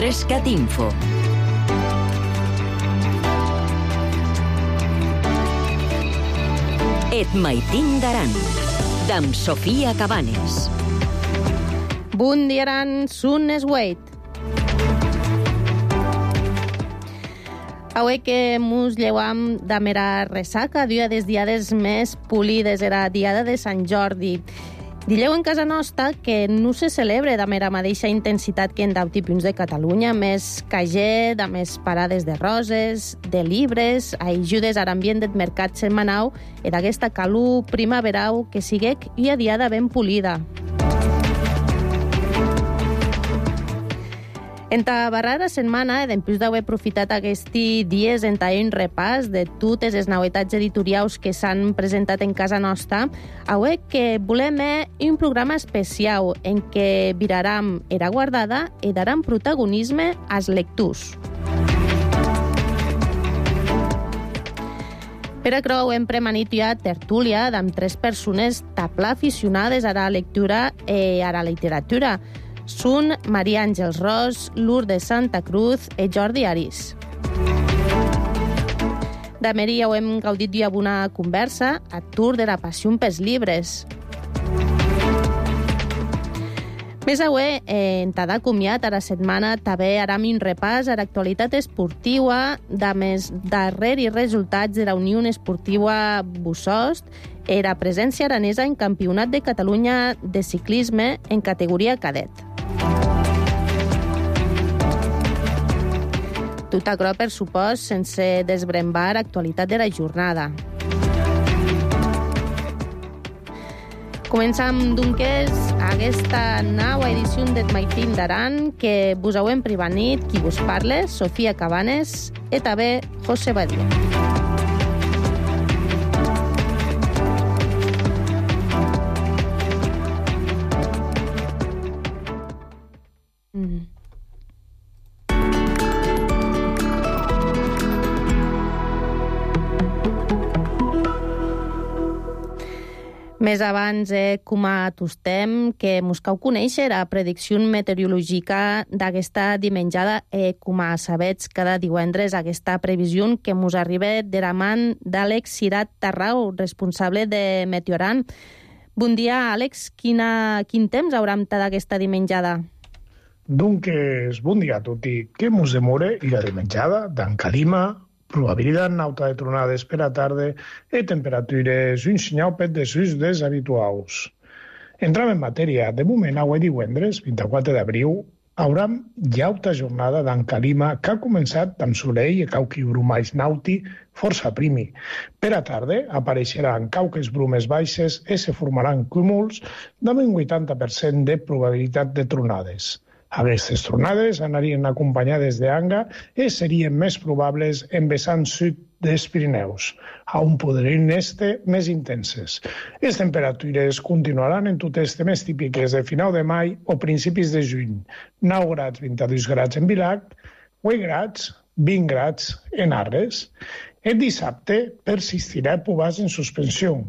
Idrescat Info. Et maitin d'aran, d'am Sofia Cabanes. Bon dia, Aran, sun es weit. Avui que mos lleuam da mera ressaca, dia des diades més polides, era diada de Sant Jordi. Dileu en casa nostra que no se celebre de mera mateixa intensitat que en d'auti punts de Catalunya, més cager, de més parades de roses, de llibres, ajudes a l'ambient del mercat setmanau i d'aquesta calor primaverau que siguec una diada ben polida. En ta barrera setmana, dempús d'haver aprofitat aquests dies en un repàs de totes les novetats editorials que s'han presentat en casa nostra, avui que volem un programa especial en què viraram era guardada i daram protagonisme als lectors. Per això hem premanit ja tertúlia amb 3 persones tapla aficionades a la lectura i a la literatura. Són Maria Àngels Ros, Lourdes Santa Cruz i Jordi Arís. De Meri ja ho hem gaudit ja amb una conversa a tour de la passió pels llibres. Més avui, en tada comiat a la setmana, també haram un repàs a l'actualitat esportiva de més darrers resultats de la Unió Esportiva Bussost i la presència aranesa en Campionat de Catalunya de ciclisme en categoria cadet. Tot això, per supost, sense desbrembar l'actualitat de la jornada. Començam, doncs, aquesta nova edició d'Et maitin d'aran que vos heu privanit qui vos parla, Sofia Cabanes, i també José Badia. Més abans, com a tostem, que mos cau conèixer la predicció meteorològica d'aquesta dimenjada com a sabets cada divendres aquesta previsió que mos arriba de la mà d'Àlex Cirat Tarrau, responsable de Meteoran. Bon dia, Àlex. Quin temps hauram d'aquesta dimenjada? Doncs, bon dia a tutti. Què mos demora i la dimenjada d'en Calima, probabilitat nauta de tronades per a tarde i temperatures un senyal de sus deshabituals. Entram en matèria. De moment, avui divendres, 24 d'abril, hauram llauta jornada d'en Calima que ha començat amb soleil i cauqui brumais nauti força primi. Per a tarde apareixeran cauques brumes baixes i se formaran cúmuls amb un 80% de probabilitat de tronades. Aquestes tronades anarien acompanyades d'anga i serien més probables en vessant sud dels Pirineus, on podrien estar més intenses. Les temperatures continuaran en totes temes típiques de final de maig o principis de juny. 9 grads, 22 grads en Vilac, 8 grads, 20 grads en Arres. El dissabte persistirà pubàs en suspensió.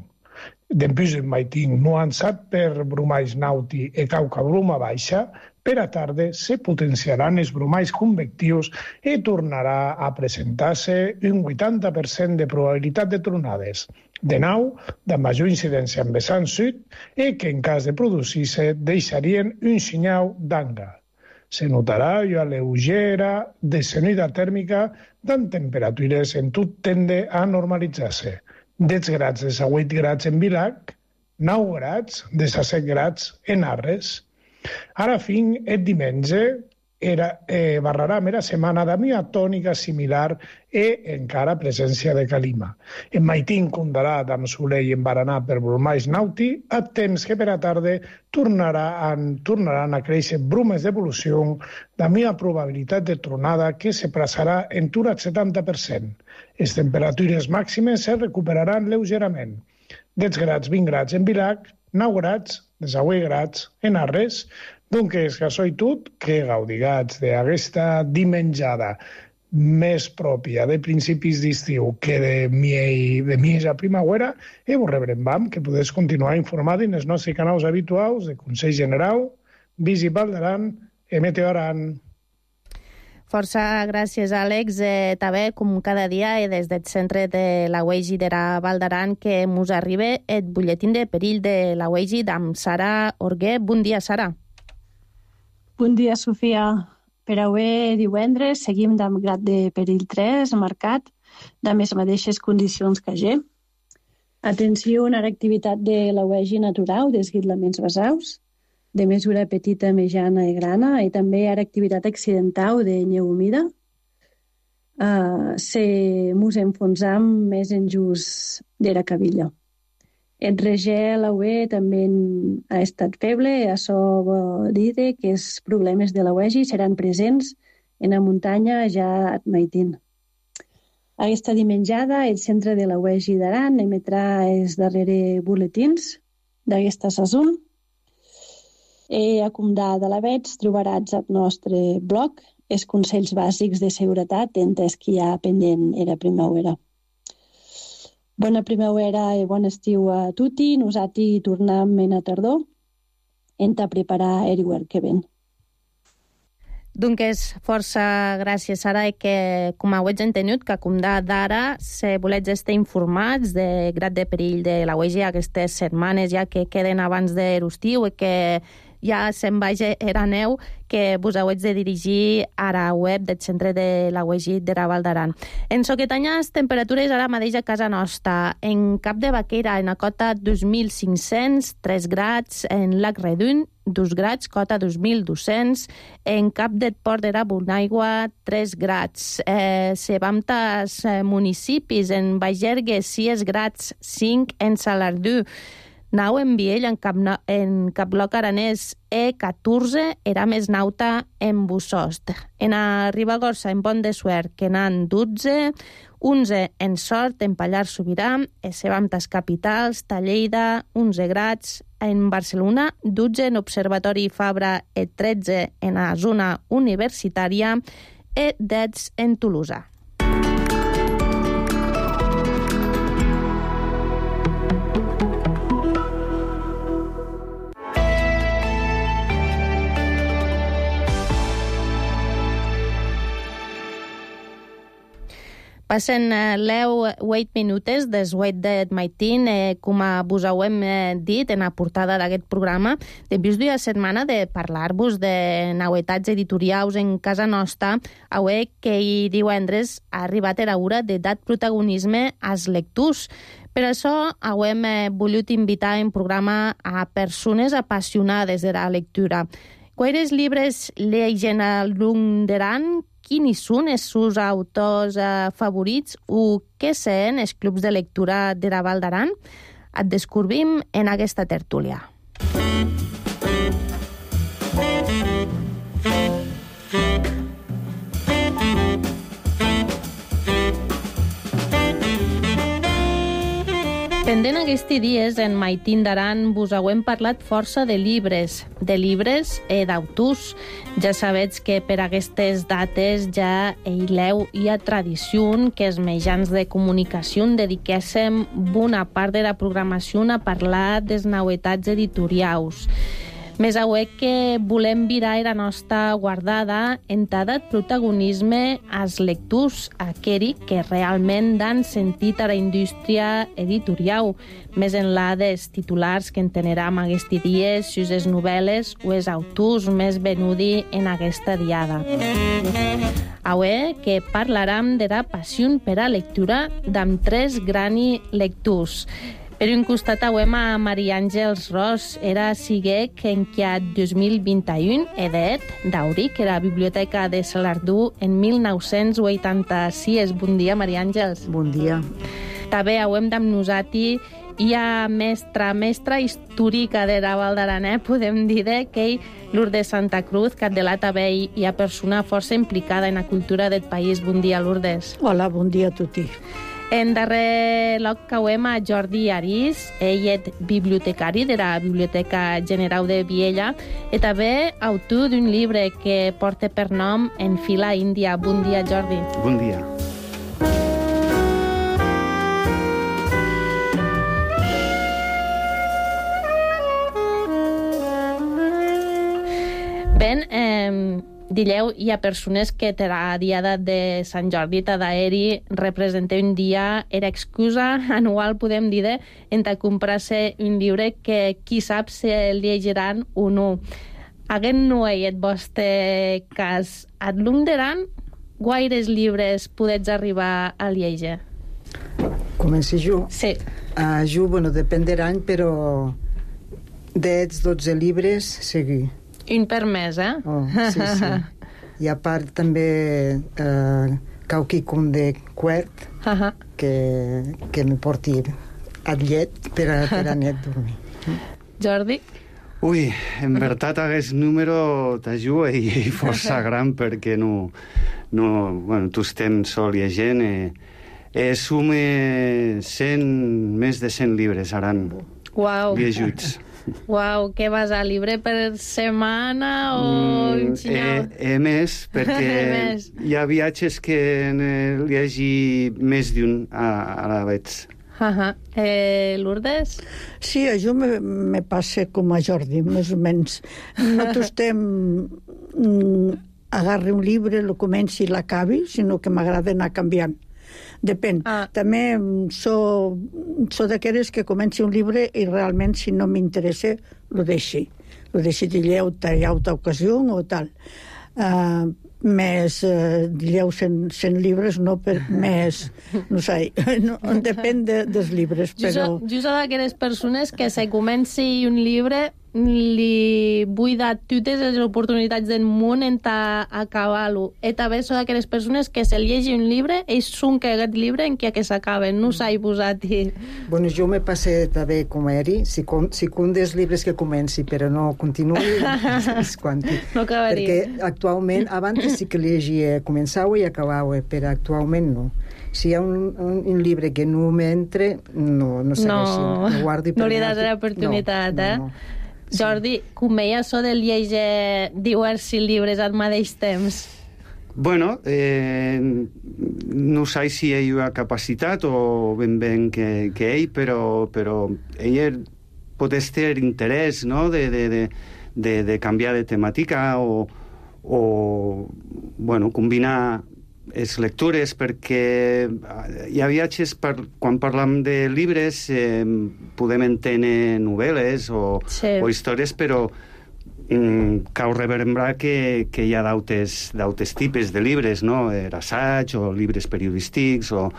Dempús en maitin nuançat per brumais nauti i cauca bruma baixa, per a tarde se potenciaran els brumais convectius i tornarà a presentar-se un 80% de probabilitat de tronades. De nou, de major incidència en vessant sud i que en cas de produir-se deixarien un senyal d'anga. Se notarà una lleugera descenida tèrmica amb temperatures en tot tende a normalitzar-se. 10 grads de 8 grads en Vilac, 9 grads de 7 grads en Arres. Ara fin, el diumenge barrarà mera setmana de mia tònica similar i encara presència de Calima. En maitin condarà amb soleil en baranar per brumais nauti, a temps que per a tarde tornaran a créixer brumes d'evolució de mia probabilitat de tronada que se plaçarà en tur al 70%. Les temperatures màximes se recuperaran lleugerament. 10 grads, 20 grads en Vilac, 9 grads, 18 grads en Arres. Doncs, que soy tot, que gaudigats d'aquesta dimenjada més pròpia de principis d'estiu que de mieja primavera, i vos rebrem que podeu continuar informant en els nostres canals habituals de Consell General, Visit Val d'Aran i Meteoran. Força gràcies, Àlex. També, com cada dia, des del centre de la UEGI de la Val d'Aran, que mos arriba el butlletín de perill de la UEGI amb Sara Orguer. Bon dia, Sara. Bon dia, Sofia. Per avui divendres seguim amb grad de perill 3 marcat, de les mateixes condicions que ahir. Atenció a l'activitat de la UEGI natural dels guidlaments basaus, de mesura petita, mitjana i grana, i també a l'activitat accidental de neu humida. Se mos enfonsam més en just de la cabilla. El regel avui també ha estat feble, això vol dir que els problemes de la UEGI seran presents en la muntanya ja a Maitín. Aquesta dimenjada, el centre de la UEGI d'Aran emetrà els darrers buletins d'aquesta saison. A Comdà de l'Avets trobaràs al nostre blog els consells bàsics de seguretat entre els que hi ha pendent era primavera. Bona primavera i bon estiu a tutti. Nosaltres tornem en a tardor a preparar el que ven. Doncs força gràcies, Sara, que com heu entenut, que com d'ara, si voleu estar informats de grad de perill de la UEGI aquestes setmanes ja que queden abans de l'estiu i que ja se'n vagi era neu, que vos heu de dirigir a la web del centre de la UEGI de la Val d'Aran. En soquetanyes temperatures ara mateix a casa nostra. En Cap de Baquera, en la cota 2.500, 3 grads. En Lac Redun, 2 grads, cota 2.200. En Cap del Port de la Bonaigua, 3 grads. Se vam tas municipis, en Bagergue, 6 grads, 5 en Salardú. Nau en Viell, en Caploc Aranès, 14, era més nauta en Bussost. En a Ribagorça, en Pont de Suert, que n'han 12, 11 en Sort, en Pallars Sobirà, Sebamtes Capitals, Talleida, 11 grads, en Barcelona, 12 en Observatori Fabra, 13 en la zona universitària, 10 en Tolosa. Passen 8 minutes des 8 de Maitín, com vos hem dit en la portada d'aquest programa. Després d'una setmana de parlar-vos de novetats editorials en casa nostra, avui que divendres ha arribat la hora de dar protagonisme als lectors. Per això hem volgut invitar en programa a persones apassionades de la lectura. Quants llibres llegeixen al llarg de l'any? Quins són els seus autors favorits o què són els clubs de lectura de la Val d'Aran? Et descobrim en aquesta tertúlia. Pendent aquests dies, en Maitín d'Aran vos hem parlat força de llibres i d'autors. Ja sabeu que per aquestes dates ja hi ha tradició que els mitjans de comunicació dediquéssim bona part de la programació a parlar de les novetats editorials. Més avui que volem virar la nostra guardada en dar protagonisme als lectors, aquells que realment dan sentit a la indústria editorial, més enllà dels titulars que entenem aquests dies, sus les novel·les o els autors més venuts en aquesta diada. Avui que parlarem de la passió per a lectura d'amb 3 grans lectors. Per un costat avem a Maria Àngels Ros, era siguec en que 2021 edet d'Auric, era a la Biblioteca de Salardú en 1986. Bon dia, Maria Àngels. Bon dia. També avem amb nosaltres hi ha mestra històrica de la Val d'Aran, podem dir que Lourdes Santa Cruz, que de la també hi ha persona força implicada en la cultura del país. Bon dia, Lourdes. Hola, bon dia a tutti. En darrer lloc cauem a Jordi Arís, ell és bibliotecari de la Biblioteca General de Viella i també autor d'un llibre que porta per nom En fila índia. Bon dia, Jordi. Bon dia. Ben, Dileu, hi ha persones que per la diada de Sant Jordi Tadaeri representa un dia, era excusa anual, podem dir, entre comprar-se un llibre que qui sap si el llegiran o no. Aquest no és el vostre cas. Et lunderan guaires llibres podets arribar a llegir? Comenci jo? Sí. Jo, bueno, depèn de l'any, però 10-12 llibres seguir. Un per mes, eh? Oh, sí, sí. I a part també quelcom de quart que me porti al llet per a net dormir. Jordi? Ui, en veritat aquest número t'ajuda i força gran perquè bueno, tu estem sol llegint sume més de 100 llibres aran lleguts. Uau, què vas a llibre per setmana o un xinyal? Més, perquè hi ha viatges que llegi més d'un a la vegada. Lourdes? Sí, a jo me passa com a Jordi, més o menys. No t'estem agarri un llibre, lo comenci i l'acabi, sinó que m'agrada anar canviant. Depèn. També sóc d'aquelles que comenci un llibre i realment, si no m'interessa, lo deixi. Lo deixi d'illeu a altra ocasió o tal. Més d'illeu 100 llibres, no per més, no sé, depèn dels llibres, però... Jo soc d'aquelles persones que si comenci un llibre li vull dar totes les oportunitats del món en acabar-lo. I també soc d'aquelles persones que se llegi un llibre i sunca aquest llibre en què s'acaben, no s'ha posat-hi. Bueno, jo me passe també com eri, si un dels llibres que comenci però no continuï, és quanti. No acabaria. Perquè actualment, abans sí que llegia, començava i acabava, però actualment no. Si hi ha un llibre que no m'entra, no segueixi. No li das l'oportunitat, eh? No. Jordi, com ella so de llegir diversos llibres al mateix temps? Bueno, no sé si ell ha capacitat o ben que ell, però ell pot tenir interès, no?, de canviar de temàtica o bueno, combinar les lectures, perquè hi ha viatges, quan parlam de llibres podem entendre novel·les o històries, però cal reverbrar que hi ha d'altres tipus de llibres, no? Assaig o llibres periodístics o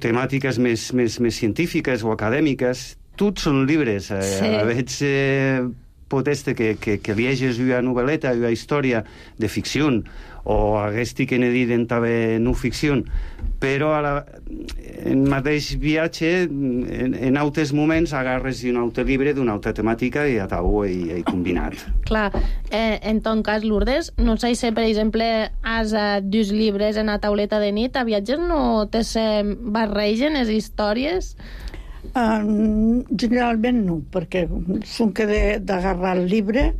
temàtiques més científiques o acadèmiques. Tots són llibres. Veig pot ser que lleges una novel·leta, una història de ficció, o aquesta que n'he dit en també no ficció, però en mateix viatge, en altres moments, agarres un altre llibre d'una altra temàtica i atau i combinat. Clar, en ton cas, Lourdes, no sé si, per exemple, has dos llibres en la tauleta de nit, a viatges no te barregen les històries? Generalment no, perquè sonque d'agarrar el llibre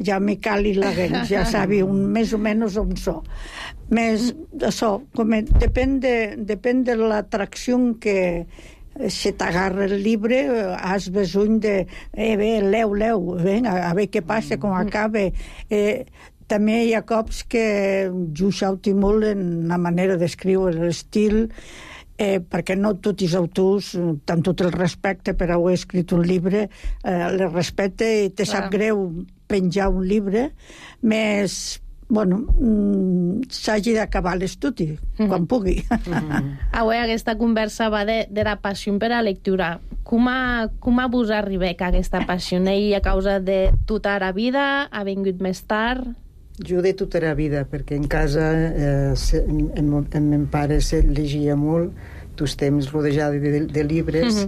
ja me cali la gens, ja sabi més o menys on so. Més això, depèn de l'atracció que si t'agarra el llibre has besony de leu, a veure què passa, com acaba. També hi ha cops que jo xauti molt en la manera d'escriure, l'estil, perquè no tots els autors, amb tot el respecte per haver escrit un llibre, les respecte i te sap greu penjar un llibre, més, bueno, s'hagi d'acabar l'estudi, quan pugui. Avui aquesta conversa va de la passió per la lectura. Com vos arriba aquesta passió? I a causa de tota la vida? Ha vingut més tard? Jo de tota la vida, perquè en casa en mon pare se llegia molt, tots temps rodejada de llibres,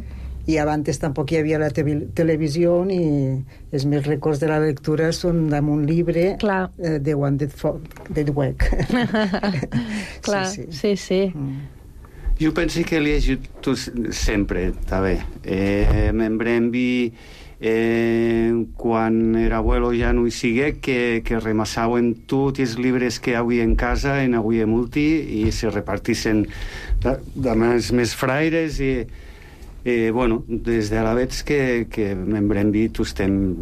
i abans tampoc hi havia la televisió i els meus records de la lectura són d'un llibre de Wanted Dweck. Clar, sí. Jo penso que he llegit sempre, també. M'embrembi quan era abuelo ja no hi sigue, que remassaven tots els llibres que avui en casa, en avui en multi, i se repartissin amb els més fraires, i Bueno, des de la veig que en Bremby estem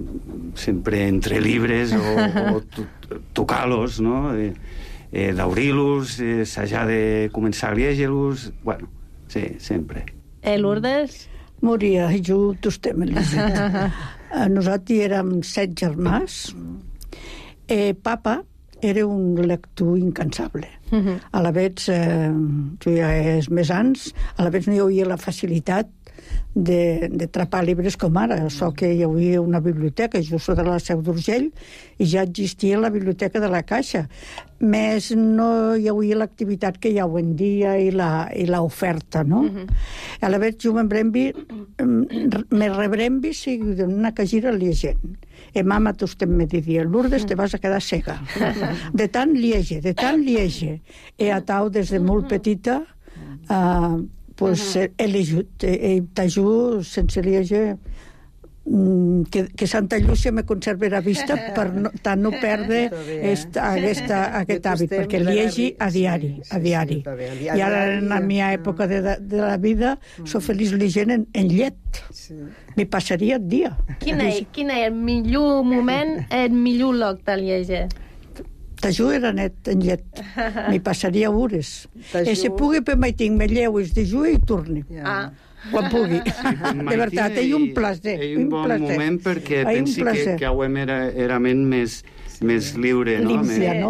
sempre entre llibres o tocar-los, no? D'obrir-los, assajar de començar a llegir-los, bueno, sí, sempre. Lourdes? Moria, jo estem a llegir. Nosaltres érem 7 germans. Papa era un lector incansable. A la vegada, jo ja és més anys, a la vegada no hi havia la facilitat de trapar llibres com ara. So que hi havia una biblioteca, jo soc de la Seu d'Urgell, i ja existia la biblioteca de la Caixa. Més no hi havia l'activitat que hi ha avui en dia i l'oferta, no? A la vegada, jo me rebrembi si una cagera llegent. Mama, tu estem me diria, Lourdes, te vas a quedar cega. De tant liege. He atau des de molt petita pues he llegit, t'ajut sense llegir que Santa Llúcia me conservarà vista per no perdre aquest hàbit, perquè llegi a diari. I ara en la meva època de la vida soc feliç llegint en llet. M'hi passaria el dia. Quin és el millor moment, el millor lloc de llegir? Tajú era net en llet. M'hi passaria hores. Si pugui per mai tinc me lleuis de ju i torni. Quan pugui. De veritat, és un plaer. És un bon moment perquè pensi que auem era més lliure,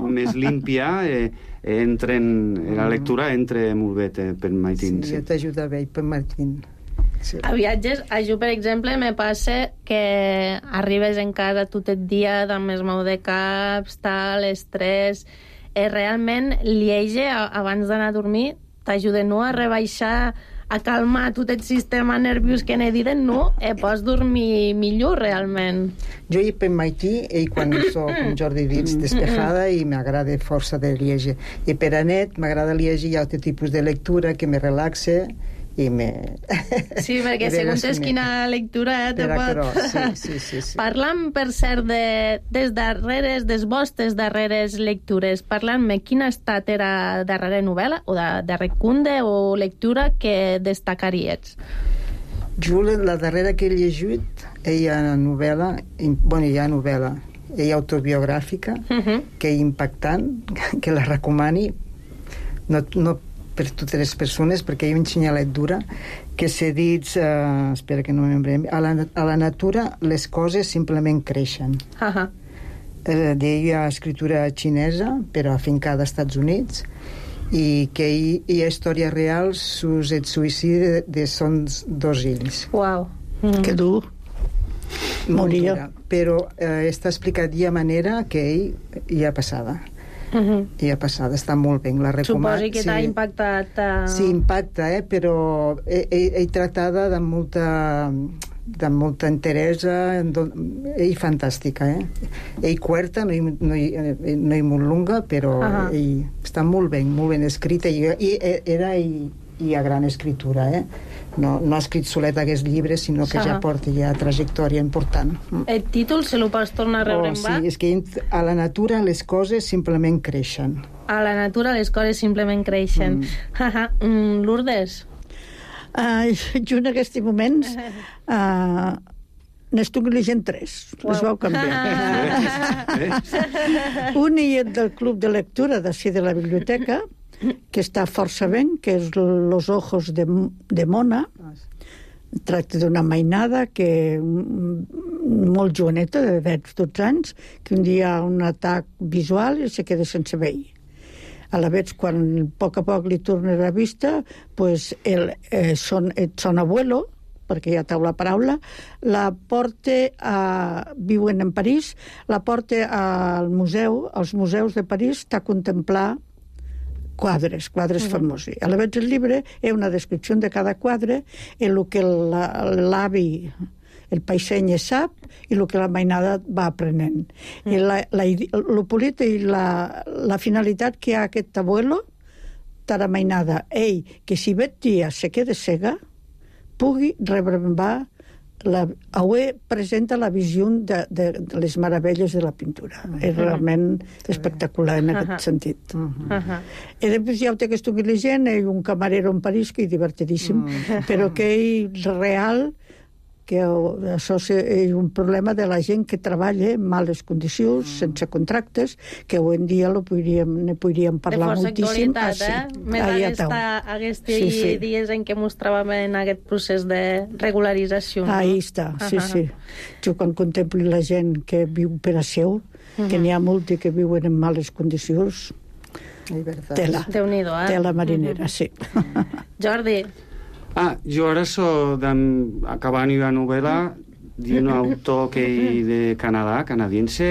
més límpia. La lectura entra molt bé per Maitín. Sí, t'ajuda bé per Maitín. Sí. A viatges, a jo, per exemple, me passa que arribes en casa tot el dia amb el mal de caps, tal, estrès. Realment, llegir abans d'anar a dormir t'ajuda no a rebaixar, a calmar tot el sistema nerviós que n'he dit, no? Pots dormir millor, realment. Jo hi per Maití, i quan soc com Jordi dits, despejada, i m'agrada força de llegir. I per a net, m'agrada llegir altre tipus de lectura que me relaxe, Sí, perquè segons és quina lectura te pot... Sí. Parlant, per cert, des vostres darreres lectures, parlant-me, quina ha estat la darrera novel·la o de recunde o lectura que destacaries? Jo, la darrera que he llegit, hi ha novel·la, autobiogràfica, que és impactant, que la recomani, no per totes les persones, perquè hi ha un senyalet dura, que s'ha dit, espera que no m'embrem, a la natura les coses simplement creixen. Deia escritura xinesa, però afincada als Estats Units, i que hi ha història real sus el suïcidi de sons dos fills. Uau. Que dur. Moria. Però està explicat de manera que ell hi ha passada. I ha passat, està molt bé, la recomano. Suposi que t'ha impactat. Sí, impacta, però ell tractada de molta interès, ell fantàstica, ell cuerta, no hi molt lunga, però ell està molt ben escrita, i hi ha gran escritura, no ha escrit solet aquests llibres, sinó que ja porta ja trajectòria important. El títol se lo pots tornar a rebre en va? Sí, és que a la natura les coses simplement creixen. A la natura les coses simplement creixen. Lourdes? Jo en aquests moments n'estic llegint 3. Les vau canviar. Un és del club de lectura d'ací de la biblioteca, que està força ben, que és Los ojos de Mona. Tracta d'una mainada que molt joveneta, de 12 anys, que un dia ha un atac visual i se queda sense veí. A la vegada, quan a poc li torna la vista, pues son abuelo, perquè ja tau la paraula, la porta viuen en París, la porta al museu, als museus de París, a contemplar quadres famosos. A la vegada el llibre és una descripció de cada quadre, el que l'avi, el paiseny sap, i el que la mainada va aprenent. I el polit i la finalitat que ha aquest abuelo, la mainada, ell, que si vet dia se queda cega, pugui rebrembar Aué presenta la visió de les meravelles de la pintura. És realment espectacular en aquest sentit. I després ja ho té que estigui llegint, ell un camarero en París que és divertidíssim, però que ell real, que això és un problema de la gent que treballa en males condicions, sense contractes, que avui en dia ne podríem parlar moltíssim. De força actualitat, Més aquests dies en què mostràvem en aquest procés de regularització. Ahí està, sí. Jo quan contemplo la gent que viu per a seu, que n'hi ha molt que viuen en males condicions, tela marinera, sí. Jordi. Jo ara soc acabant una novel·la d'un autor que és de Canadà, canadiense,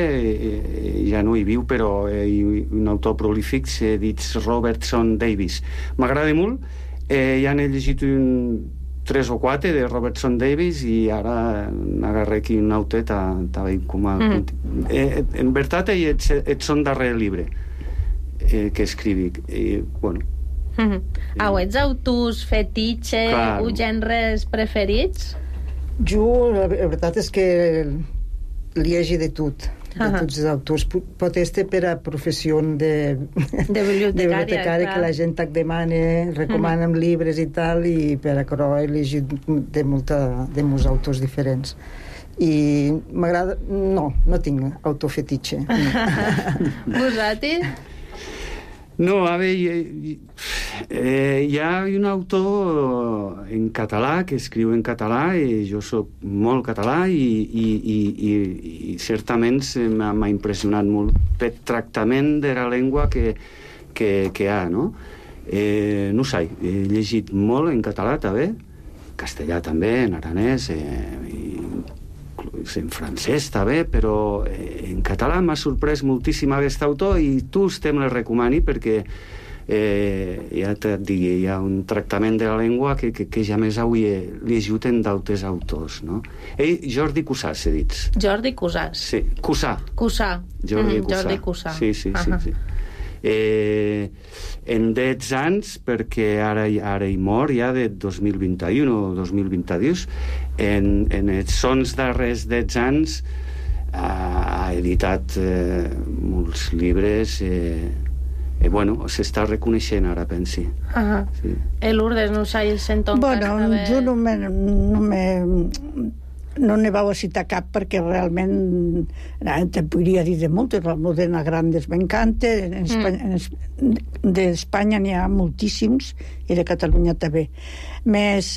ja no hi viu, però un autor prolífic, s'ha dit Robertson Davies. M'agrada molt, ja n'he llegit 3 o 4 de Robertson Davies i ara n'agarré aquí un autor com a... En veritat, és son darrer llibre que escrivic. Bueno, ets autors fetitxe o gèneres preferits? Jo, la veritat és que llegi de tot, de tots els autors. Pot ser per a professió de bibliotecària, que la gent et demana, recomana'm llibres i tal, i per a això he llegit de molts autors diferents. I m'agrada... No tinc autor fetitxe. Vosaltres? No, a veure, hi ha un autor en català que escriu en català i jo soc molt català i certament m'ha impressionat molt pel tractament de la llengua que hi ha, no? No sé, he llegit molt en català també, castellà també, en aranès, en francès també, però en català m'ha sorprès moltíssim aquest autor i tu me la recomani perquè ja et dic, hi ha un tractament de la llengua que ja més avui he llegit en d'altres autors, no? Jordi Cussà, s'ha dit. Jordi Cussà. Sí, Cussà. Jordi Cussà. Sí. En 10 anys, perquè ara hi mor ja de 2021 o 2022, en els sons darrers 10 anys ha editat molts llibres i bueno, s'està reconeixent ara, pensi. Lourdes, no sé, el sento encara. Bueno, jo no ne vau a citar cap perquè realment te podria dir de moltes. L'Almudena Grandes m'encanta, d'Espanya n'hi ha moltíssims i de Catalunya també. Més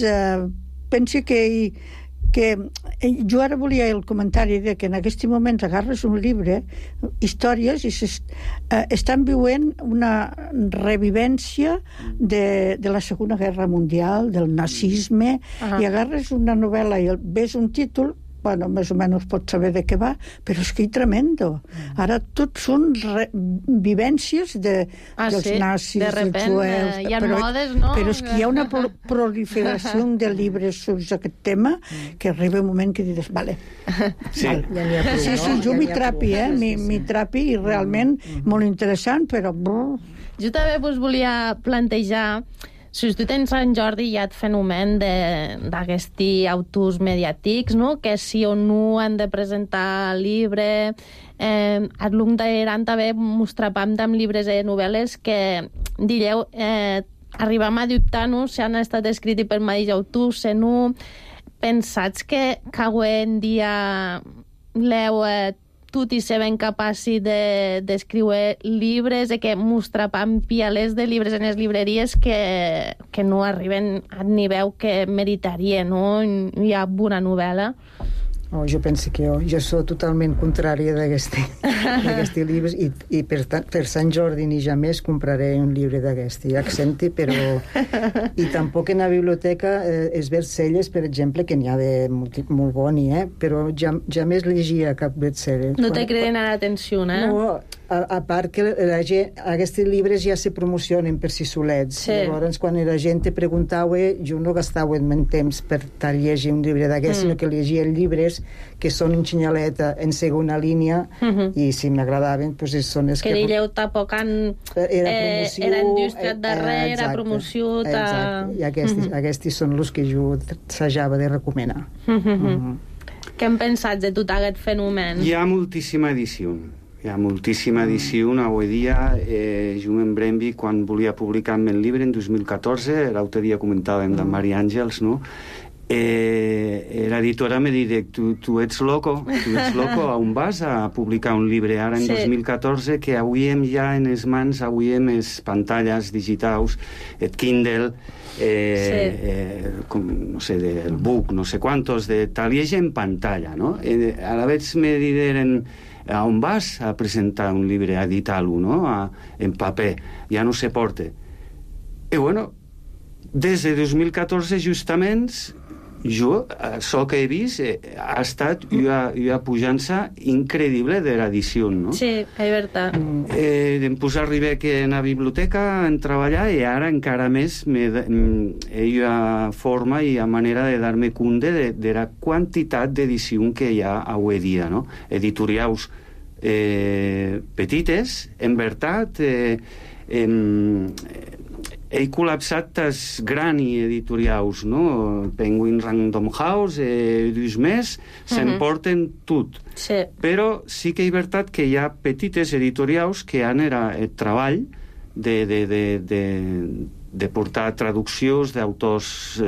penso que jo ara volia el comentari de que en aquests moments agarres un llibre, històries, i estan vivint una revivència de la Segona Guerra Mundial, del nazisme, i agarres una novel·la i ves un títol, bueno, més o menys pots saber de què va, però és que és tremendo. Ara tot són vivències dels nazis, dels jueus. Hi ha modes, no? Però és que hi ha una proliferació de llibres sobre aquest tema que arriba un moment que dius, vale. Sí, jo m'hi trapi i realment molt interessant, però... Jo també us volia plantejar... Si tu tens Sant Jordi hi ha el fenomen d'aquests autors mediàtics, no? Que sí o no han de presentar el llibre. Al long d'Iran també mostràvem amb llibres i novel·les que, digueu, arribam a dubtar-nos si han estat escrits per mateix autor, si no. Pensats que avui en dia l'heu tot i ser ben capaç d'escriure llibres i que mostrapam pialers de llibres en les llibreries que no arriben al nivell que meritaria, no? Hi ha una novel·la. Jo penso que jo soc totalment contrària d'aquests llibres i per Sant Jordi ni jamais compraré un llibre d'aquest accent, però i tampoc en la biblioteca els bestsellers, per exemple, que n'hi ha de molt boni, però jamais llegia cap bestseller. No te criden a l'atenció, eh? No, a part que la gent, aquests llibres ja se promocionen per si solets. Sí. Llavors, quan la gent te preguntava, jo no gastava el meu temps per llegir un llibre d'aquests, sinó que llegia llibres que són en xinyaleta, en segona línia, i si m'agradaven, doncs són els que dilleu tampoc era indústria darrere, era promoció... Exacte, i aquests són els que jo s'hajava de recomanar. Què en pensats de tot aquest fenomen? Hi ha moltíssima edició. Avui dia. Jo em Brembi, quan volia publicar el llibre en 2014, l'altre dia comentàvem de Mari Àngels, no? L'editora me diu, tu ets loco, on vas a publicar un llibre ara en 2014, que avui hem ja en les mans, avui hem les pantalles digitals, el Kindle, no sé, el book, no sé quantos, de tal, i en pantalla, no? A la vegada me diuen, on vas a presentar un llibre, a editar-lo, no? En paper, ja no se porta. I bueno, des de 2014 justament jo, això que he vist ha estat una pujança increïble de l'edició, no? Sí, és veritat. Em posar a arribar que en la biblioteca en treballar, i ara encara més hi ha forma i ha manera de dar-me compte de la quantitat d'edició que hi ha avui dia, no? Editorials petites, en veritat, he col·lapsat tas grans editorials, no? Penguin Random House, dus més, s'emporten tot. Sí. Però sí que és veritat que hi ha petites editorials que han el treball de portar traduccions d'autors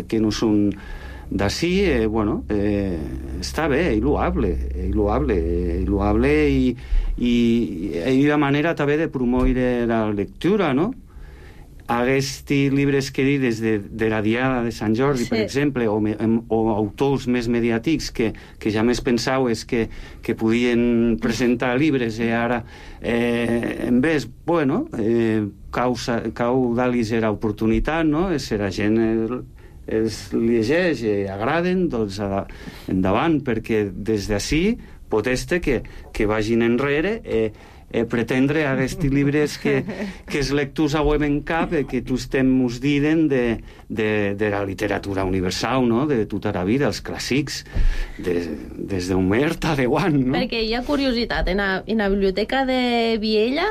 que no són d'ací, està bé, és loable i hi ha manera també de promoure la lectura, no? Aquests llibres que he dit de la Diada de Sant Jordi, per exemple, o autors més mediàtics que ja més pensaves que podien presentar llibres i ara en vez, cau dar-los l'oportunitat, no? Si la gent els llegeix i agraden, doncs endavant, perquè des d'ací pot ser que vagin enrere pretendre aquests llibres que els lectors avui en cap, que tots ens diuen de la literatura universal, no? De tota la vida, els clàssics, des d'Homer a Déu, no? Perquè hi ha curiositat, en la biblioteca de Viella,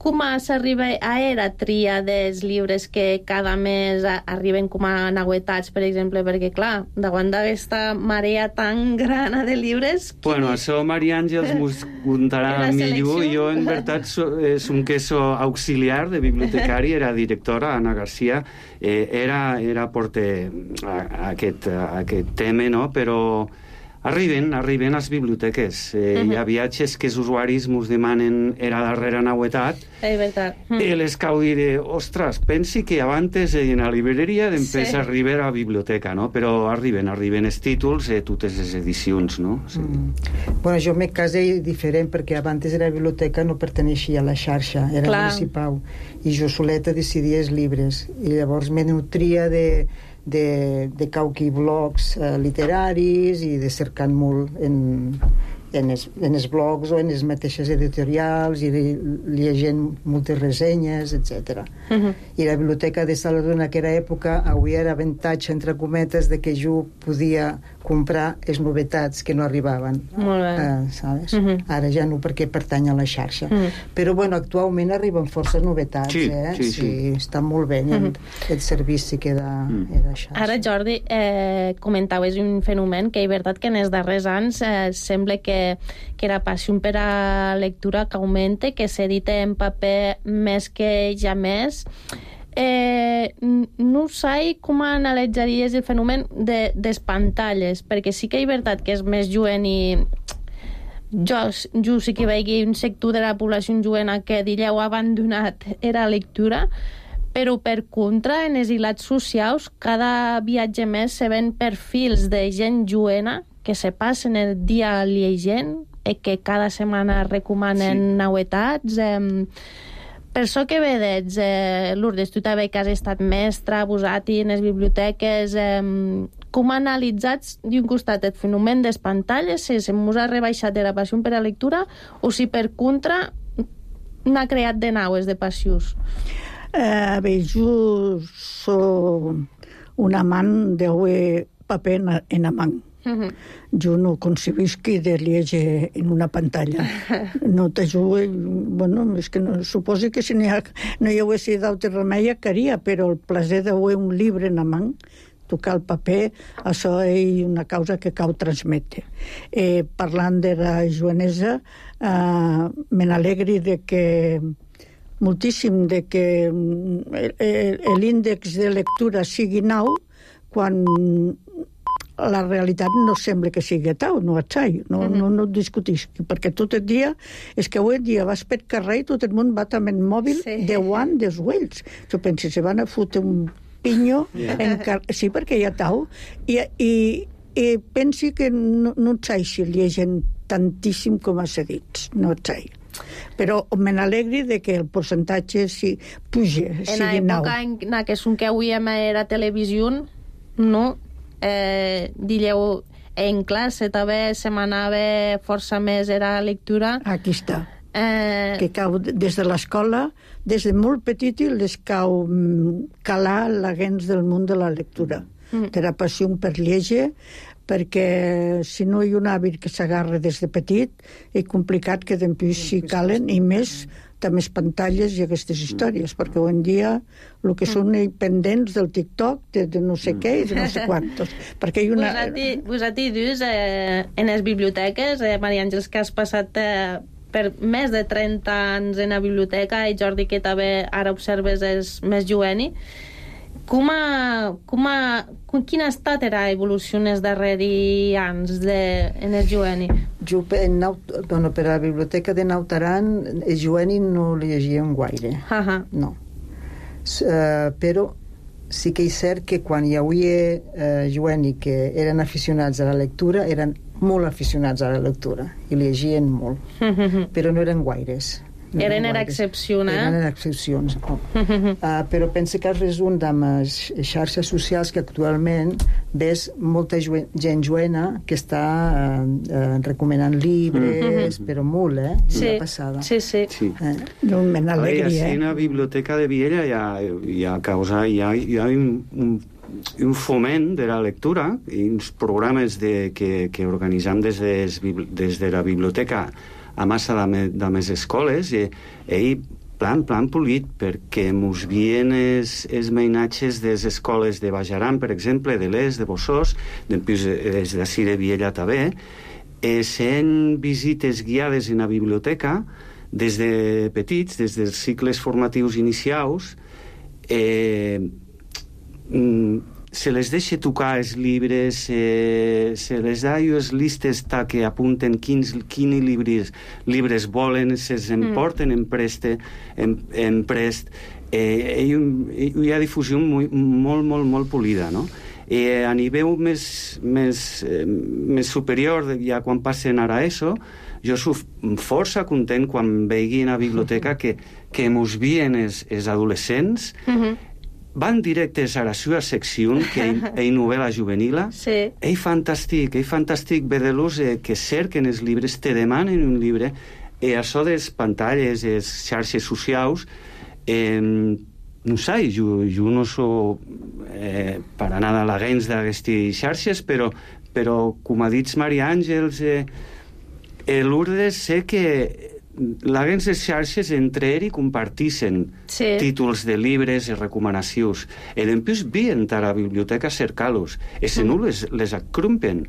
com s'arriba a la tria dels llibres que cada mes arriben com a novetats, per exemple, perquè, clar, davant d'aquesta marea tan grana de llibres... Bueno, això Maria Àngels m'ho contarà millor. Jo, en veritat, som que soc auxiliar de bibliotecari, era directora, Anna Garcia, era porta aquest tema, no? Però arriben a les biblioteques. Hi ha viatges que els usuaris ens demanen la darrera novetat. És veritat. I les cau dir, ostres, pensi que abans en la llibreria després arriba a la biblioteca, no? Però arriben els títols i totes les edicions, no? Bueno, jo en el cas és diferent, perquè abans la biblioteca no perteneixia a la xarxa, era municipal, i jo soleta decidia els llibres, i llavors me nutria de cauqui blogs literaris i de cercar molt en els blogs o en les mateixes editorials i llegint moltes ressenyes, etc. I la biblioteca de Saladona, que era època, avui era avantatge, entre cometes, de que jo podia comprar les novetats que no arribaven. Molt bé. Sabes? Ara ja no, perquè pertany a la xarxa. Però, bueno, actualment arriben força novetats, Sí, està molt bé el servici que da la xarxa. Ara, Jordi, comentaves un fenomen que és veritat que en els darrers anys sembla que la passió per a la lectura que augmenta, que s'edita en paper més que ja més. No sé com analitzaries el fenomen de les pantalles, perquè sí que és veritat que és més jovent i jo sí que veig un sector de la població jovent que diríeu abandonat la lectura, però per contra en els hilats socials cada viatge més se ven perfils de gent jovena que se passen el dia llegint i que cada setmana recomanen novetats. Per això que vedes, Lourdes, tu també que has estat mestra, abusat en les biblioteques, com analitzats d'un costat el fenomen de les pantalles, si se mos ha rebaixat de la passió per la lectura o si per contra n'ha creat de naues de passius? Bé, jo soc un amant de paper en amant. Jo no concebisc de llegir en una pantalla. No t'ajudo, bueno, és que no, suposo que si no hi hagués d'altre remei caria, però el plaer de un llibre en amant, tocar el paper, això és una causa que cal transmetre. Parlant de la joanesa, me n'alegri de que moltíssim de que l'índex de lectura sigui 9 quan la realitat no sembla que sigui tal, no no discutisc, perquè tot el dia, és que avui en dia vas per carrer i tot el món va amb el mòbil de guant dels ulls. Jo penso, se van a fotre un pinyo, sí, perquè hi ha tal, i pensi que no et sai si llegen tantíssim com has dit, no et sai. Però me n'alegri de que el percentatge puja, sigui 9. En l'època en què sonqueu a televisió, no? Dilleu, en classe també se m'anava força més era lectura. Aquí està. Que cau des de l'escola, des de molt petit, les cau calar la gens del món de la lectura. De la passió per llegir, perquè si no hi ha un hàbit que s'agarra des de petit, és complicat que després s'hi calen, i més també pantalles i aquestes històries, perquè avui en dia el que són pendents del TikTok, de no sé què i de no sé quantos. Perquè hi ha una... Vosaltres dius en les biblioteques, Maria Àngels, que has passat per més de 30 anys en la biblioteca, i Jordi, que també ara observes és més jovent. Quina ha estat la evolució en els darrers anys en el jovent? Jo, per la biblioteca de Nautaran, el jovent no llegíem gaire. No. Però sí que és cert que quan hi havia jovent que eren aficionats a la lectura, eren molt aficionats a la lectura i llegien molt, però no eren gaires. Eren excepcions, Eren excepcions. Però penso que has resum amb les xarxes socials que actualment ves molta gent joena que està recomanant llibres, però molt, una passada. Sí. No me n'alegri, en la biblioteca de Viella hi ha un foment de la lectura i uns programes que organitzam des de la biblioteca a massa de més escoles i plan polit, perquè mos vien els mainatges de les escoles de Bajaran, per exemple, de l'Est, de Bossós, després des d'ací de Viella també, sent visites guiades en la biblioteca des de petits, des dels cicles formatius inicials, se les deixa tocar els llibres, se les da les listes que apunten quins llibres volen, se'ls emporten en prest. Hi ha difusió molt polida, no? A nivell més superior, ja quan passen ara a ESO, jo soc força content quan vegi a la biblioteca que mos vien els adolescents, van directes a la seva secció, que és novel·la juvenil. És fantàstic veure-los que cerquen els llibres, te demanen un llibre, i això de les pantalles, les xarxes socials, no sé, jo no soc per anar a la gens d'aquestes xarxes, però com ha dit Maria Àngels, Lourdes, sé que la gens de xarxes entre ells comparteixen títols de llibres i recomanacions. I després vien a la biblioteca a cercar-los. I si no les acrumpen.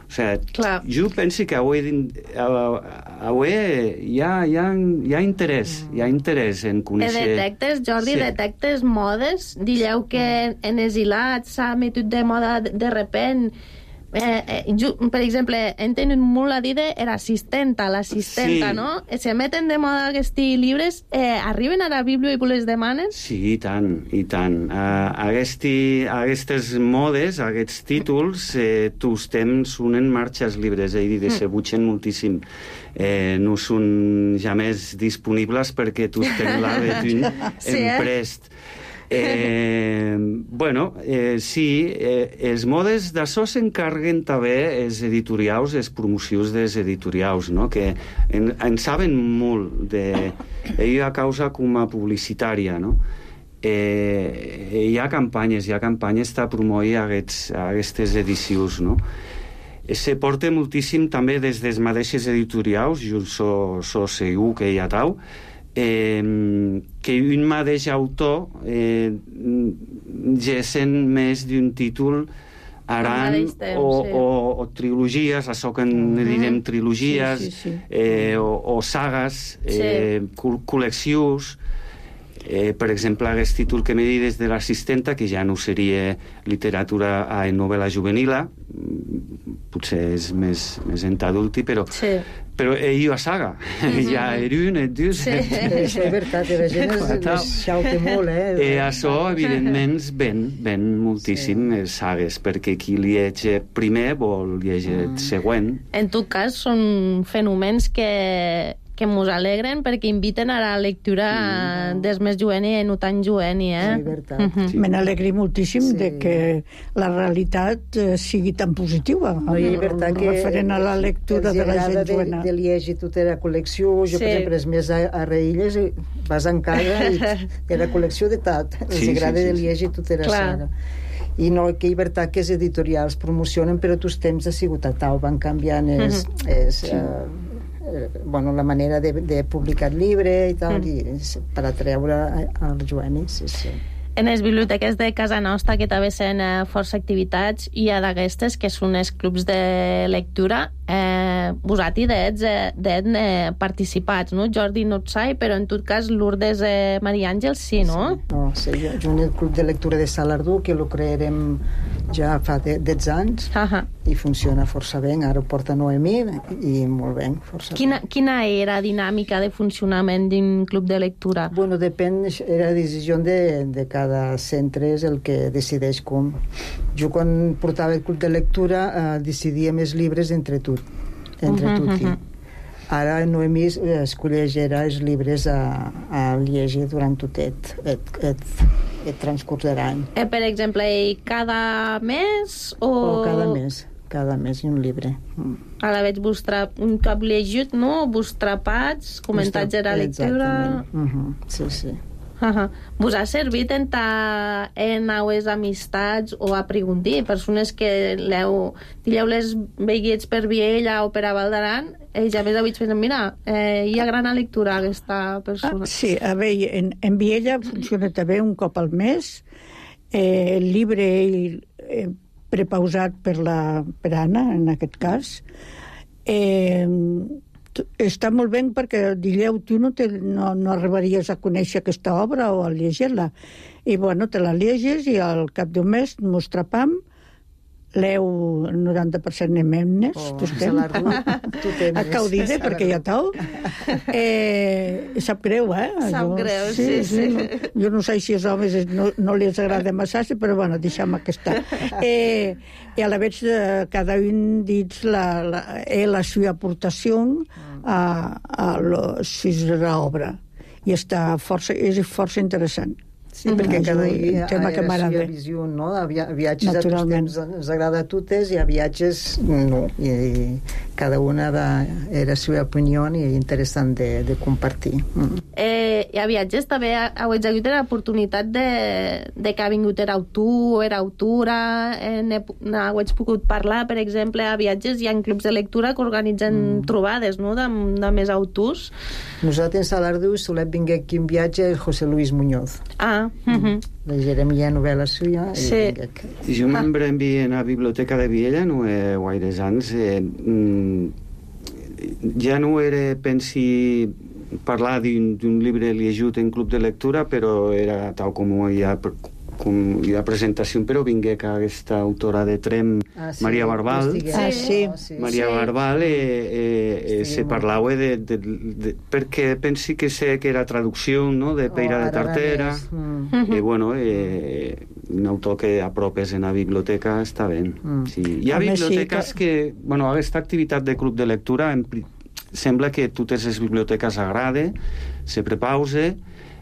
O sigui, jo penso que avui hi ha interès en conèixer... Detectes, Jordi, detectes modes? Dilleu que en els hilats s'ha metut de moda de repent. Per exemple, en tenen molt a dir de l'assistenta, no? Se meten de moda aquests llibres, arriben a la Bíblia i les demanen? Sí, i tant. Aquestes modes, aquests títols, tots temps són en marxa els llibres, i se butxen moltíssim. No són ja més disponibles perquè tots tenen l'hàbit en prest. Sí, els modes d'això s'encarreguen també els editorials, els promocions dels editorials, no? Que en saben molt d'ella causa com a publicitària, no? Hi ha campanyes per promoure aquestes edicions, no? Se porta moltíssim també des dels mateixos editorials, jo so segur que hi ha tau, que un mateix autor gesen més d'un títol aran o trilogies, això que en direm trilogies, o sagues, col·leccions. Per exemple, aquest títol que m'he dit des de l'assistenta, que ja no seria literatura en novel·la juvenila, potser és més entadulti, però hi ha saga. Hi ha un, dos... Això és veritat, la gent es xauta molt, Això, evidentment, ven moltíssim sagues, perquè qui llegeix primer vol llegir el següent. En tot cas, són fenòmens que mos alegren perquè inviten a la lectura des més joveni i no tan joveni, Sí, veritat. Me n'alegri moltíssim de que la realitat sigui tan positiva, referent a la lectura de la gent jovena. De llegir tota la col·lecció, jo per exemple, és més a Reilles, vas en casa i de la col·lecció de tot, els agrada de llegir tota la saga. I no, que és veritat que els editorials promocionen, però tots temps ha sigut a tau, van canviant la manera de publicar el llibre i tal, per atreure als jovenis. En les biblioteques de casa nostra, que també són força activitats, hi ha d'aquestes que són els clubs de lectura. Vosaltres d'ets participats, no? Jordi no et sai, però en tot cas Lourdes Maria Àngels sí, no? Sí, jo en el club de lectura de Salardú, que lo crearem ja fa 10 anys, i funciona força bé. Ara ho porta Noemí i molt bé, força bé. Quina era la dinàmica de funcionament d'un club de lectura? Bueno, depèn, era decisió de cada centre, és el que decideix com. Jo quan portava el club de lectura decidíem els llibres entre tutti. Ara Noemí escollegerà els llibres a llegir durant tot el transcurs de l'any. Per exemple, cada mes o cada mes un llibre. Ara veig un cop llegit, no? Vos trapats, comentats de la lectura... Sí. Vos ha servit en aues amistats o a preguntar persones que dieu les veiguets per Viella o per a Val d'Aran, ja més avui pensem, mira, hi ha gran lectura aquesta persona. Sí, a veure, en Viella funciona també un cop al mes, el llibre prepausat per Anna, en aquest cas, està molt bé perquè dilleu, tu no arribaries a conèixer aquesta obra o a llegir-la, i bueno, te la lleges i al cap d'un mes mos trapam, leu el 90% de memnes, a caudide, perquè ja tau. Sap greu, Sap greu, sí. Jo no sé si els homes no els agrada massa, però bueno, deixem aquesta. I a la vegada cada un dins la seva aportació a l'obra. I és força interessant. Sí, perquè cada dia ha la seva visió, no? A viatges a tots temps ens agrada a totes i a viatges no. I cada una era la seva opinió i interessant de compartir. I a viatges també heu hagut l'oportunitat de que ha vingut l'autor o l'autora, heu pogut parlar, per exemple, a viatges hi ha clubs de lectura que organitzen trobades, no?, de més autors. Nosaltres a Salardú solem venir aquí en viatge el José Luis Muñoz. Legerem ja novel·la suya. Jo m'envia a la biblioteca de Viella no gaires anys. Ja no era, pensi, parlar d'un llibre llegit en club de lectura, però era tal com hi ha presentació, però vingué que aquesta autora de Trem, Maria Barbal, Maria Barbal se parlava perquè pensi que sé que era traducció, no?, de Peira de Tartera, i bueno, un autor que apropes en la biblioteca està bé. Hi ha biblioteques que, bueno, aquesta activitat de club de lectura sembla que totes les biblioteques agrada, se prepausa,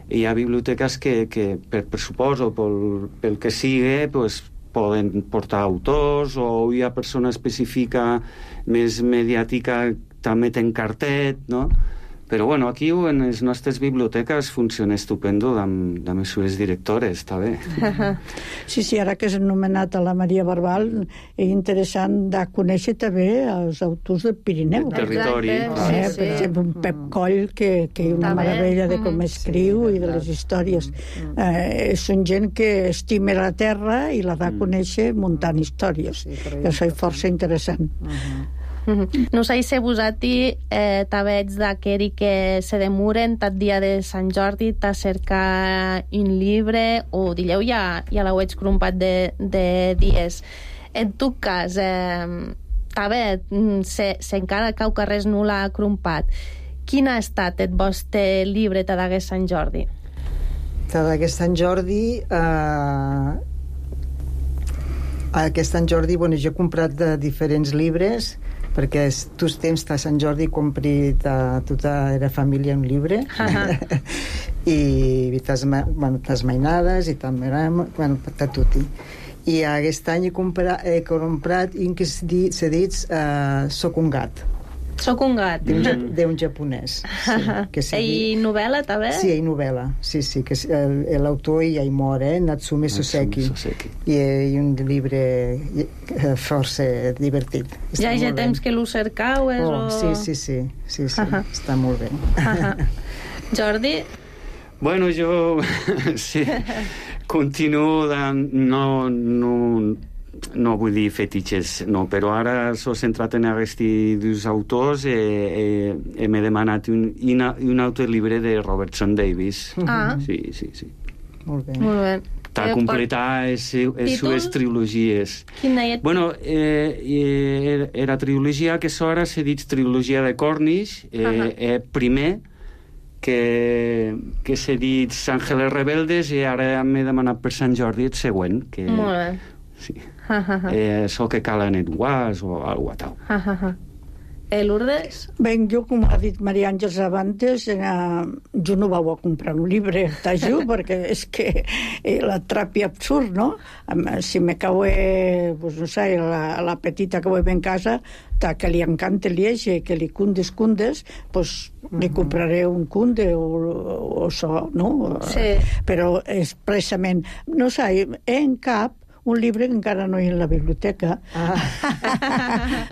hi ha biblioteques que per pressupost o pel que sigui, pues, poden portar autors, o hi ha persona específica més mediàtica també ten cartet, no? Però bueno, aquí en les nostres biblioteques funciona estupendo amb les seves directores, està bé. Sí, ara que has anomenat a la Maria Barbal, és interessant de conèixer també els autors del Pirineu. Del territori. Per exemple, un Pep Coll, que és una meravella de com escriu i de les històries. Són gent que estima la terra i la da a conèixer muntant històries. Això és força interessant. Non sai se vosati t'avets d'aqueri que se demoren tot dia de Sant Jordi a cercar un llibre, o dileu ja l'heu crompat de dies. En tot cas, també, se encara cau que res no l'ha crompat, quin ha estat el vostre llibre d'aquest Sant Jordi? D'aquest Sant Jordi... Aquest Sant Jordi, bueno, jo he comprat diferents llibres, perquè tots temps a Sant Jordi compri tota la família un llibre i tas mainades i també tutti. I aquest any he comprat un que se dit Soc un gat. Soc un gat. D'un japonès. I novel·la, també? Sí, hi novel·la. Sí, que l'autor ja hi mor, Natsume Soseki. I un llibre força divertit. Ja hi ha temps que l'ho cercau? Sí. Està molt bé. Jordi? Bueno, jo continuo no vull dir fetitxes, no, però ara s'ho centrat en aquests dos autors i m'he demanat un altre llibre de Robertson Davies. Sí. Molt bé. Per completar les seves trilogies. Quina és? Bueno, era trilogia que ara se dit trilogia de Cornish, primer que se dit Ángeles Rebeldes, i ara m'he demanat per Sant Jordi el següent. Molt bé. Sí. Això que cal en el guas o alguna tal. Lourdes? Bé, jo, com ha dit Maria Àngels abans, jo no vau a comprar un llibre, t'ajudo, perquè és que l'atrapi absurd, no? Si me cau, pues, no sé, la petita que vull en casa, que li encanta llegir, que li cundes, pues li compraré un cunde o això, no? Sí. Però expressament, no sé, en cap un llibre que encara no hi ha en la biblioteca.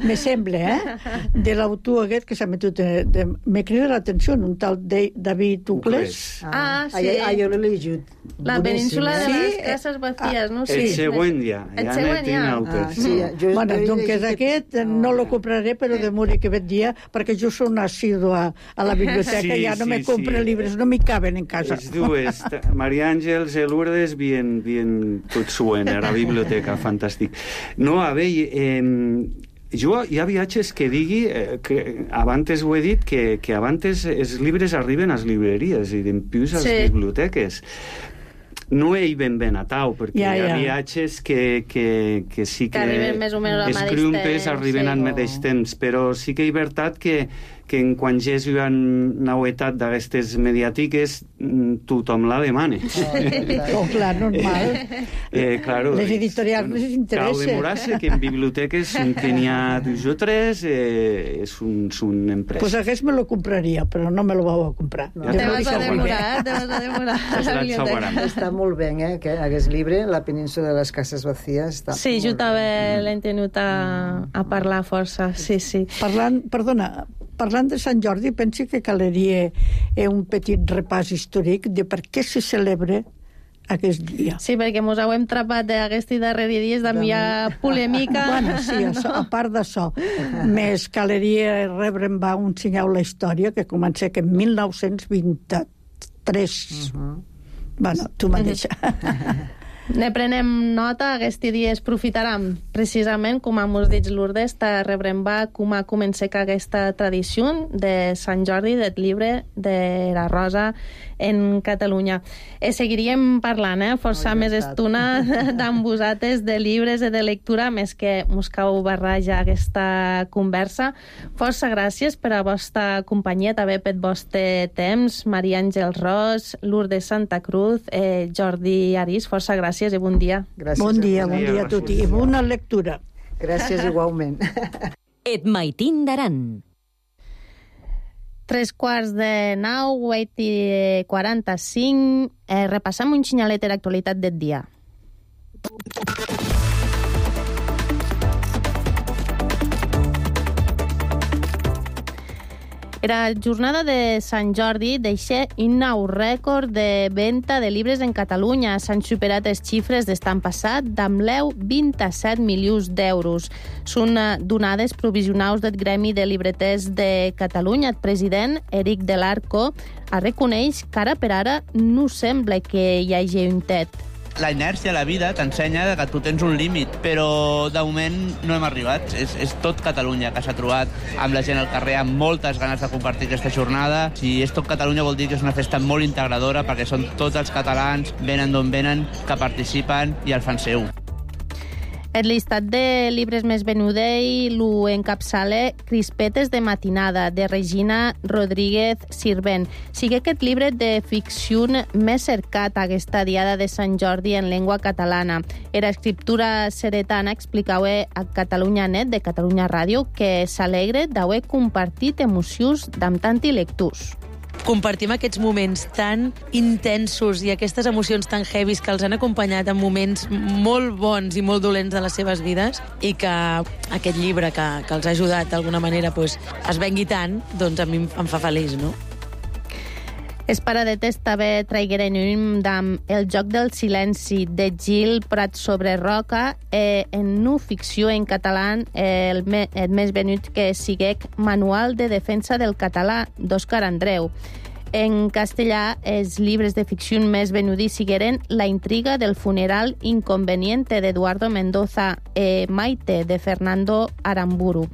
Me sembla, de l'autor aquest que s'ha metut... Me crida l'atenció, un tal David Ucles. Sí. Jo l'he llegit. La península de les cases vacías, no? El següent ja. El següent ja. Bueno, doncs aquest no lo compraré, però de morir que vet dia, perquè jo soc assídua a la biblioteca, ja no me compro llibres, no m'hi caben en casa. Les dues, Maria Àngels i Lourdes, bien tot suen a la biblioteca, fantàstic. No, a veure, jo hi ha viatges que digui, que abans ho he dit, que abans els llibres arriben a les llibreries i dempius a les biblioteques. No hi ben a tau, perquè hi ha viatges que sí que arriben més o menys al mateix crumpes arriben al mateix temps, però sí que és veritat que quan ja és una novetat d'aquestes mediàtiques tothom la demana. Clar, normal. Claro, les editorials les interessa. Cal demorar-se que en biblioteques que n'hi ha 2 o 3 és un empresa. Pues aquest me lo compraria, però no me lo vau a comprar. Te vas a demorar. Està molt bé, aquest llibre, La península de les cases vacíes. Sí, jo també l'he tenut a parlar força, sí. Parlant de Sant Jordi, penso que caldria un petit repàs històric de per què se celebra aquest dia. Sí, perquè mos heu trapat d'aquests darrers dies d'enviar polèmica. Bueno, sí, a part d'això. Més caldria rebre un senyal la història que comença que en 1923. Bueno, tu mateixa. Ne prenem nota, aquest dia es profitaram. Precisament, com mos dit Lourdes, te rebrembar com a començar aquesta tradició de Sant Jordi, del llibre de la Rosa en Catalunya. Seguiríem parlant, força més estona d'amb vosaltres de llibres i de lectura, més que mos cau barrejar aquesta conversa. Força gràcies per a vostra companyia, també per vostre temps. Maria Àngels Ros, Lourdes Santa Cruz, Jordi Arís, força gràcies i bon dia. Gràcies. Bon dia a tots i bona lectura. Gràcies igualment. Et maitin d'aran. 3:45, 8:45. Repassam un xinyalet de l'actualitat del dia. La jornada de Sant Jordi deixa un nou rècord de venda de llibres en Catalunya. S'han superat les xifres d'estan passat d'amb 27 milions d'euros. Són donades provisionals del Gremi de Llibreters de Catalunya. El president, Eric Del Arco, reconeix que ara per ara no sembla que hi hagi un tet. La inèrcia, la vida, t'ensenya que tu tens un límit, però de moment no hem arribat. És tot Catalunya que s'ha trobat amb la gent al carrer, amb moltes ganes de compartir aquesta jornada. Si és tot Catalunya vol dir que és una festa molt integradora, perquè són tots els catalans, venen d'on venen, que participen i el fan seu. El llistat de llibres més venudei lo encapçala Crispetes de matinada, de Regina Rodríguez Sirvent. Sigue aquest llibre de ficció més cercat aquesta diada de Sant Jordi en llengua catalana. Era escriptura seretana explicava a Catalunya Net, de Catalunya Ràdio, que s'alegre d'haver compartit emocions d'amb tanti lectors. Compartim aquests moments tan intensos i aquestes emocions tan heavies que els han acompanyat en moments molt bons i molt dolents de les seves vides i que aquest llibre que els ha ajudat d'alguna manera es vengui tant, doncs a mi em fa feliç, no? És paradetes també traigueren d'amb El joc del silenci de Gil Prat sobre Roca en no ficció en català el més venut que siguec Manual de defensa del català d'Òscar Andreu. En castellà, els llibres de ficció més venudis sigueren La intriga del funeral inconveniente d'Eduardo Mendoza Maite de Fernando Aramburu.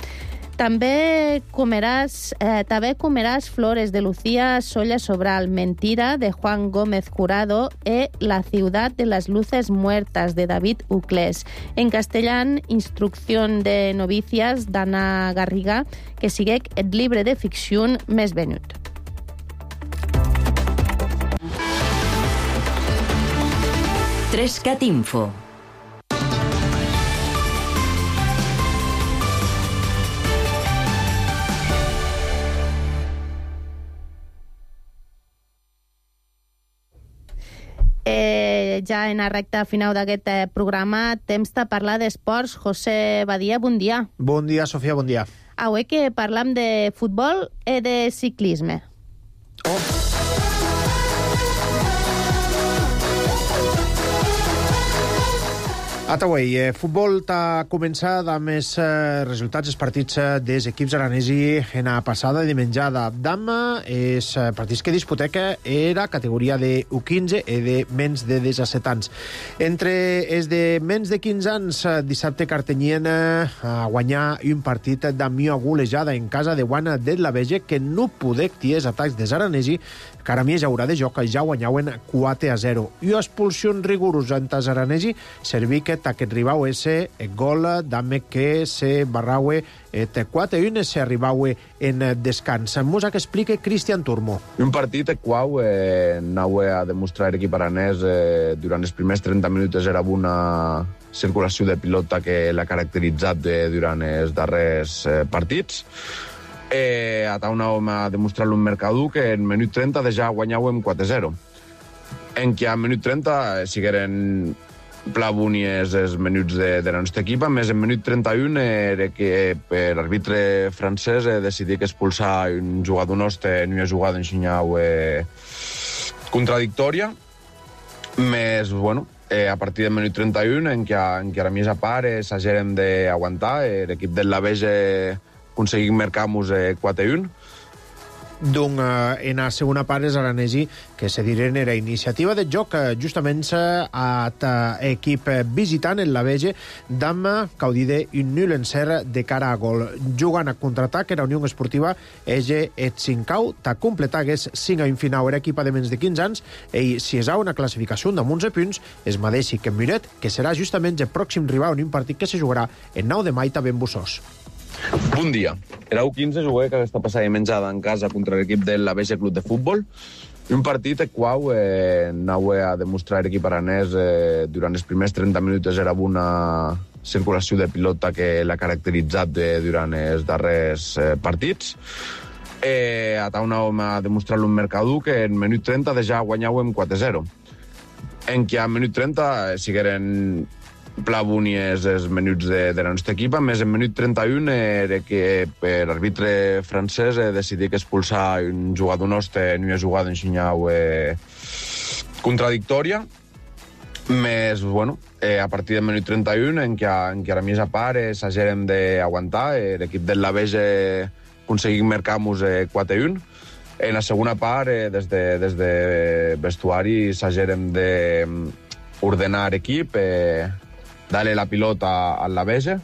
També comeràs Flores de Lucía Solla Sobral, Mentira de Juan Gómez Jurado La ciudad de las luces muertas de David Uclés. En castellán, Instrucción de novicias d'Anna Garriga, que siguec el llibre de ficció més venut. Trescat Info. Ja en la recta final d'aquest programa, temps de parlar d'esports. José Badia, bon dia. Bon dia, Sofia, bon dia. Avui que parlam de futbol i de ciclisme. Ataway, futbol t'ha començat amb els resultats dels partits dels equips aranesi en la passada dimenjada. Dama, els partits que disputeca era categoria de U15 i de menys de 17 anys. Entre els de menys de 15 anys, dissabte Cartenyien a guanyar un partit d'amió golejada en casa de Guana de la Vege que no podec ties atacs des aranesi, que ara més haurà de joc, ja guanyaven 4-0. I expulsió rigorosa en tas aranesi, serví que aquest ribau ese gol dame que se barraue 4-1 se arribaue en descans. Musa que explique Cristian Turmo. Un partit quau anaue a demostrar l'equip aranès durant els primers 30 minuts era una circulació de pilota que l'ha caracteritzat durant els darrers partits. Anàvem a demostrar-lo en Mercadú que en minut 30 ja guanyàvem 4-0. En què a minut 30 sigueren plavunies els minuts de la nostra equipa, més en minut 31 era que per l'arbitre francès decidí que expulsar un jugador nostre en una jugada en xinyau contradictòria, més, bueno, a partir del minut 31 en què a més a part s'haguérem d'aguantar, l'equip del Lavege aconseguim marcar-nos 4-1, en la segona part és Aranesi, que se diren era iniciativa de joc justament a equip visitant en la Vege d'Amma caudide un nul en ser de cara a gol. Jugant a contraatac era Unió Esportiva ege et 5 ta completagues 5 a un final era equip de menys de 15 anys i si és una classificació de 11 punts es madeixi que Muret, que serà justament el pròxim rival en un partit que se jugarà el 9 de maig també en Bussós. Bon dia. Era U15 jugué que aquesta passada menjada en casa contra l'equip de la Vege Club de Futbol. Un partit el qual anava a demostrar l'equip aranès durant els primers 30 minuts era una circulació de pilota que l'ha caracteritzat durant els darrers partits. Anàvem a demostrar-lo en Mercadú que en minut 30 ja guanyàvem 4-0. En què a minut 30 sigueren plavunies els minuts de la nostra equip, més en minut 31 era que per l'arbitre francès decidí que expulsar un jugador nostre en una jugada en Xinyau contradictòria, més, bueno, a partir del minut 31 en què a la mitja part s'haguérem d'aguantar, l'equip de la Vege aconseguim marcar-nos 4-1. En la segona part, des de vestuari s'haguérem d'ordenar l'equip, darle la pilota a la Vege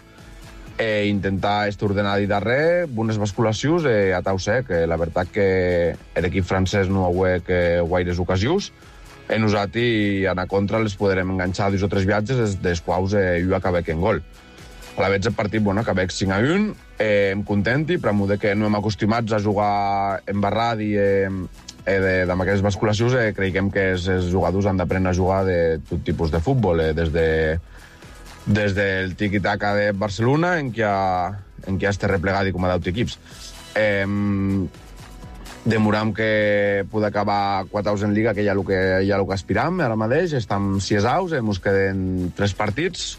i intentar ordenar de darrere unes basculacions a tau sec. La veritat que l'equip francès no ha hagut gaires ocasions i nosaltres a contra les podrem enganxar 2 o 3 viatges dels quals jo acabé en gol. A la vegada el partit acabé 5-1, em contenti, però que no hem acostumats a jugar embarrat i amb aquestes basculacions creiem que els jugadors han d'aprendre a jugar de tot tipus de futbol, des del tiki-taka de Barcelona en què està replegat i com a 10 equips. Demoram que pugui acabar 4 aus en Liga, que ja el que aspiram ara mateix. Estem 6 aus, ens queden 3 partits.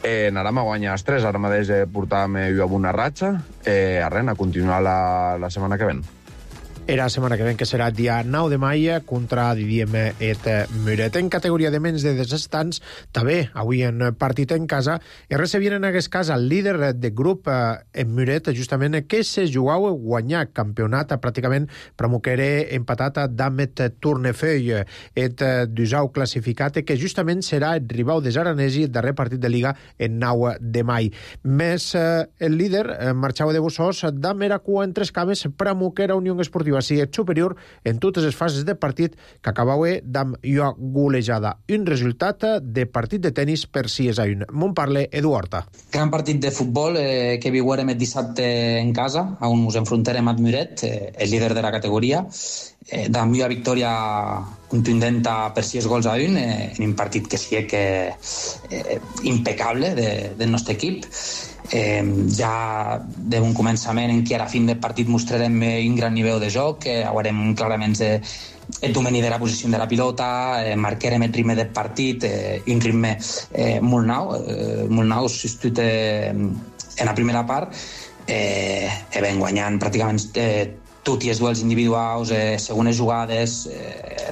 Anàrem a guanyar els 3, ara mateix portàvem jo amb una ratxa. A continuar la setmana que ven. Era la setmana que ven, que serà dia 9 de maig contra, diríem, et Muret. En categoria de menys de 17 anys, també, avui en partit en casa, es recebien en aquest cas el líder de grup en Muret, justament, que se jugava guanyar campionat pràcticament promoquere empatat d'Amet Tournefeuille, et d'usau classificat, que justament serà el rival de Aranesi, el darrer partit de Liga, en 9 de maig. Més el líder marxava de Bussós, d'Am era cua en 3 cames, promoquera Unió Esportiva si és superior en totes les fases de partit que acabava amb una golejada. Un resultat de partit de tenis per 6-1. M'on parla Edu Horta. Gran partit de futbol que viurem el dissabte en casa, on ens enfrontarem amb Muret, el líder de la categoria, d'amb una victòria contundent per 6-1 en un partit que sí que impecable del nostre equip. Ja d'un començament en què a la fin del partit mostrarem un gran nivell de joc, haurem clarament el domini de la posició de la pilota, marcarem el ritme del partit, un ritme molt nou, sobretot en la primera part, vam guanyant pràcticament tots els duels individuals, segones jugades,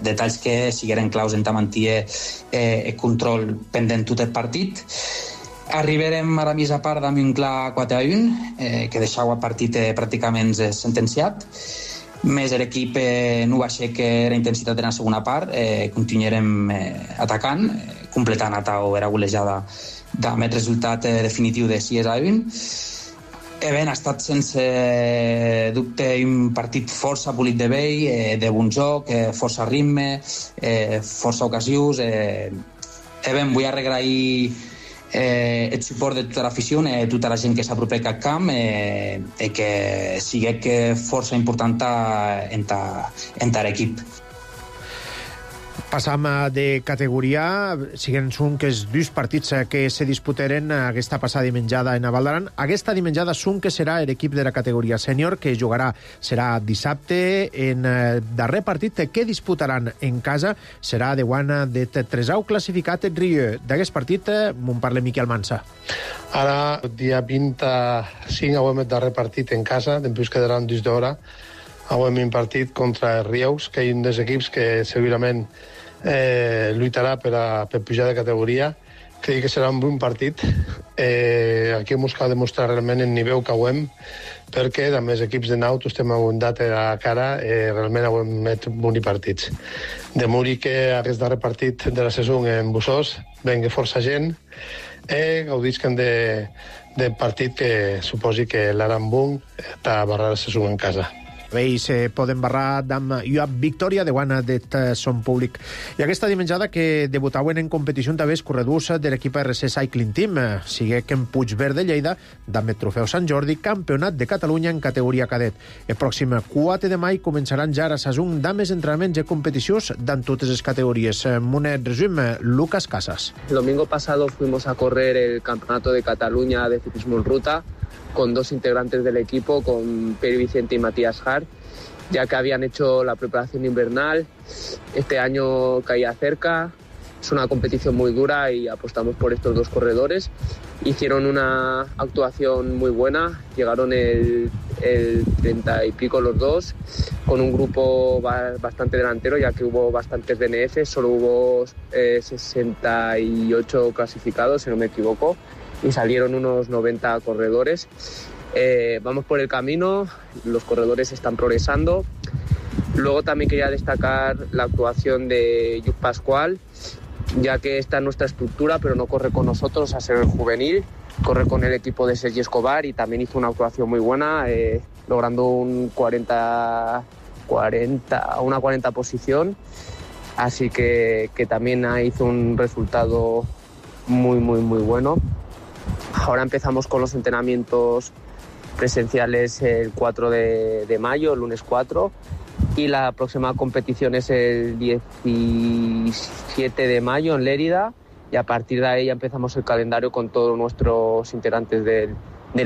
detalls que sigueren claus en mantenir el control pendent tot el partit. Arribarem a la mitja part amb un clar 4-1, que deixava el partit pràcticament sentenciat. Més l'equip no va ser que la intensitat en la segona part, continuarem atacant, completant a tau era golejada amb el resultat definitiu de 6-1. Ha estat sense dubte un partit força polit de vell, de bon joc, força ritme, força ocasions. Vull agrair el suport de tota l'afició, tota la gent que s'apropa al camp, que sigui força important en l'equip. Passam de categoria, siguen són que els 2 partits que se disputaren aquesta passada dimenjada en Val d'Aran. Aquesta dimenjada són que serà l'equip de la categoria sènior, que serà dissabte en darrer partit que disputaran en casa, serà de guana de Tresau classificat en Rieu. D'aquest partit m'on parla Miquel Mansa. Ara, dia 25, avui el darrer partit en casa, després quedaran 2 d'hora. Avui un partit contra els Rieus, que és un dels equips que segurament lluitarà per pujar de categoria Crec que serà un bon partit. Aquí hem buscat demostrar realment el nivell que hem, perquè amb els equips de Naut estem aguantat a la cara, realment hem fet bons partits. De Muri que aquest darrer partit de la saison en Bussós vengui força gent, gaudisquen de partit que suposi que l'Arambun està a barrar la saison en casa. Ells poden barrar amb una victòria de guana d'et son públic. I aquesta dimenjada que debutaven en competició també els corredors de l'equip RC Cycling Team, sigue que en Puigverd de Lleida, amb el trofeu Sant Jordi, campionat de Catalunya en categoria cadet. El pròxim 4 de maig començaran ja a Sassung amb els entrenaments i competicions d'en totes les categories. Monet resum, Lucas Casas. El domingo pasado fuimos a correr el Campeonato de Cataluña de ciclismo en ruta con 2 integrantes del equipo, con Pere Vicente y Matías Hart, ya que habían hecho la preparación invernal. Este año caía cerca, es una competición muy dura y apostamos por estos 2 corredores. Hicieron una actuación muy buena, llegaron el 30 y pico los 2, con un grupo bastante delantero, ya que hubo bastantes DNF, solo hubo 68 clasificados, si no me equivoco, y salieron unos 90 corredores. Vamos por el camino, los corredores están progresando. Luego también quería destacar la actuación de Lluc Pascual, ya que está en nuestra estructura, pero no corre con nosotros a ser el juvenil, corre con el equipo de Sergi Escobar y también hizo una actuación muy buena, logrando una 40 posición, así que también hizo un resultado muy bueno. Ahora empezamos con los entrenamientos presenciales el 4 de mayo, el lunes 4, y la próxima competición es el 17 de mayo en Lérida, y a partir de ahí ya empezamos el calendario con todos nuestros integrantes del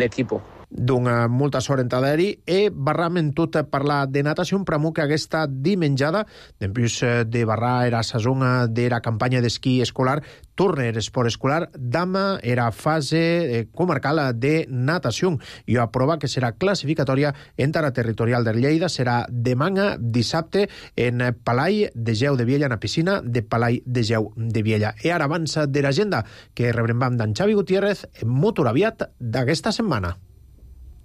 equipo. D'un molta sort en Taderi barram en tot parlar de natació, pramo que aquesta dimenjada, després de barrar era saison de la campanya d'esquí escolar, torna l'esport escolar, dama era fase comarcal de natació i a prova que serà classificatòria entre la territorial de Lleida, serà demà dissabte en Palai de Geu de Viella, en la piscina de Palai de Geu de Viella. I ara avança de l'agenda que rebrem d'en Xavi Gutiérrez en Motor Aviat d'aquesta setmana.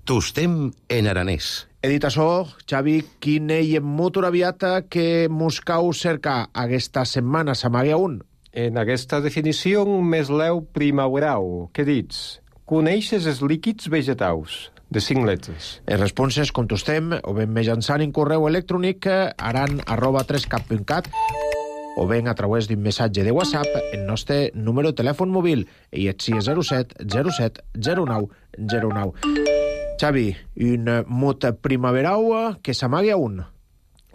Tostem en aranès. He dit això, Xavi, quin ell en Motor Aviat que mos cau cerca aquesta setmana, s'amaga un? En aquesta definició més leu primaveral, què dits? Coneixes els líquids vegetals, de 5 lletres. Les responses contestem o ben mitjançant en correu electrònic aran@3cap.cat o ben a través d'un missatge de WhatsApp el nostre número de telèfon mòbil i és 607 07 09 09. Xavi, un mot primaveral que s'amaga un.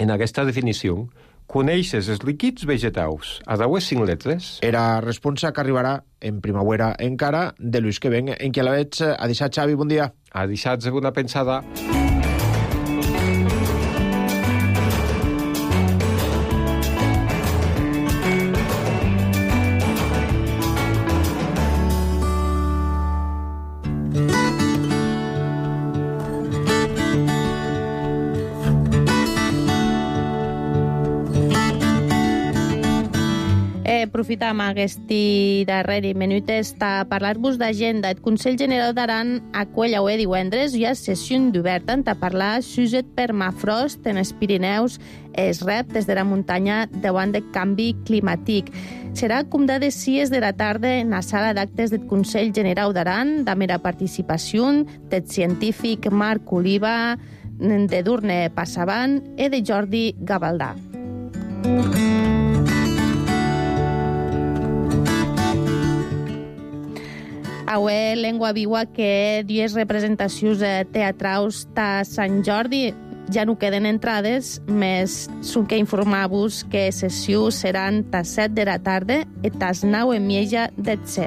En aquesta definició, coneixes els líquids vegetals a 5 lletres? Era responsa que arribarà en primavera encara de l'ús que ven. En què la veig? A deixar, Xavi, bon dia. A deixar una pensada. Aprofitam aquest darrer minut a parlar-vos d'agenda. El Consell General d'Aran acull avui divendres hi ha sessió oberta a parlar sobre permafrost en els Pirineus, els reptes de la muntanya davant del canvi climàtic. Serà com de 6 de la tarda en la sala d'actes del Consell General d'Aran, de mera participació del científic Marc Oliva, de Durne Passavant i de Jordi Gavaldà. Avui Llengua Viva que 10 representacions teatrals de Sant Jordi ja no queden entrades, més són que informar-vos que sessions seran a 7 de la tarda i a 9 en Mieja d'Etze.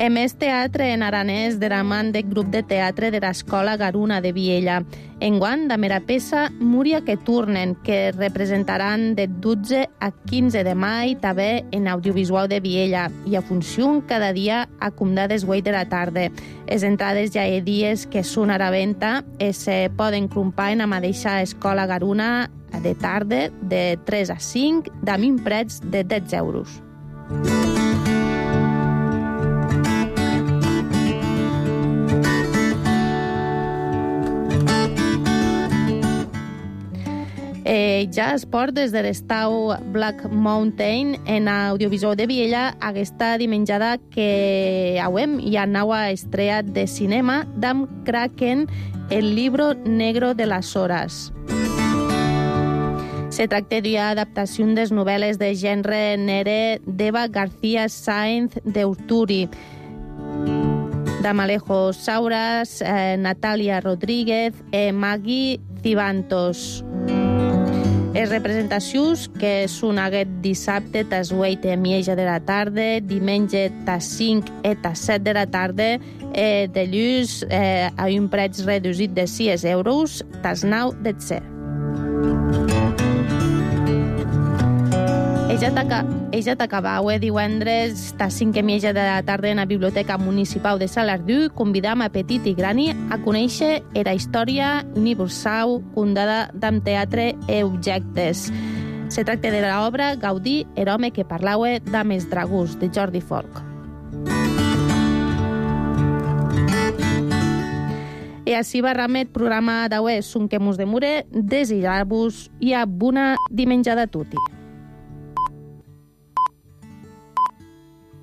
Més teatre en aranès de la man del grup de teatre de l'Escola Garuna de Viella. Enguany, damera peça Múria que turnen, que representaran de 12 a 15 de mai també en audiovisual de Viella i a funció cada dia a Comdà des 8 de la tarda. Les entrades ja hi ha dies que són a la venda i se poden comprar en la mateixa Escola Garuna de tarda de 3 a 5 amb un preu de 10 euros. Ja esport des de l'estau Black Mountain en audiovisual de Viella aquesta dimenjada que auem hi ha nova estrella de cinema d'Am Kraken, El libro negro de las horas. Se tracta d'una adaptació de novel·les de gènere negre d'Eva García Sáenz de Urturi, d'Amalejo Sauras, Natalia Rodríguez i Maggie Cibantos. Les representacions, que són aquest dissabte tas 8 i mitja de la tarda, diumenge tas 5 i tas 7 de la tarda, de llurs a un preu reduït de 6 euros, tas 9 de 7. Ella t'acabau divendres a 5 i mitja de la tarda en la Biblioteca Municipal de Salardú. Convidam a petit i grani a conèixer la història universal fundada d'am teatre i objectes. Se tracta de l'obra Gaudí, el home que parlava d'Ames Dragús, de Jordi Folk. I així va ramet programa d'avui, Son que mos demure, desitjar-vos i a bona dimenjada a tutti.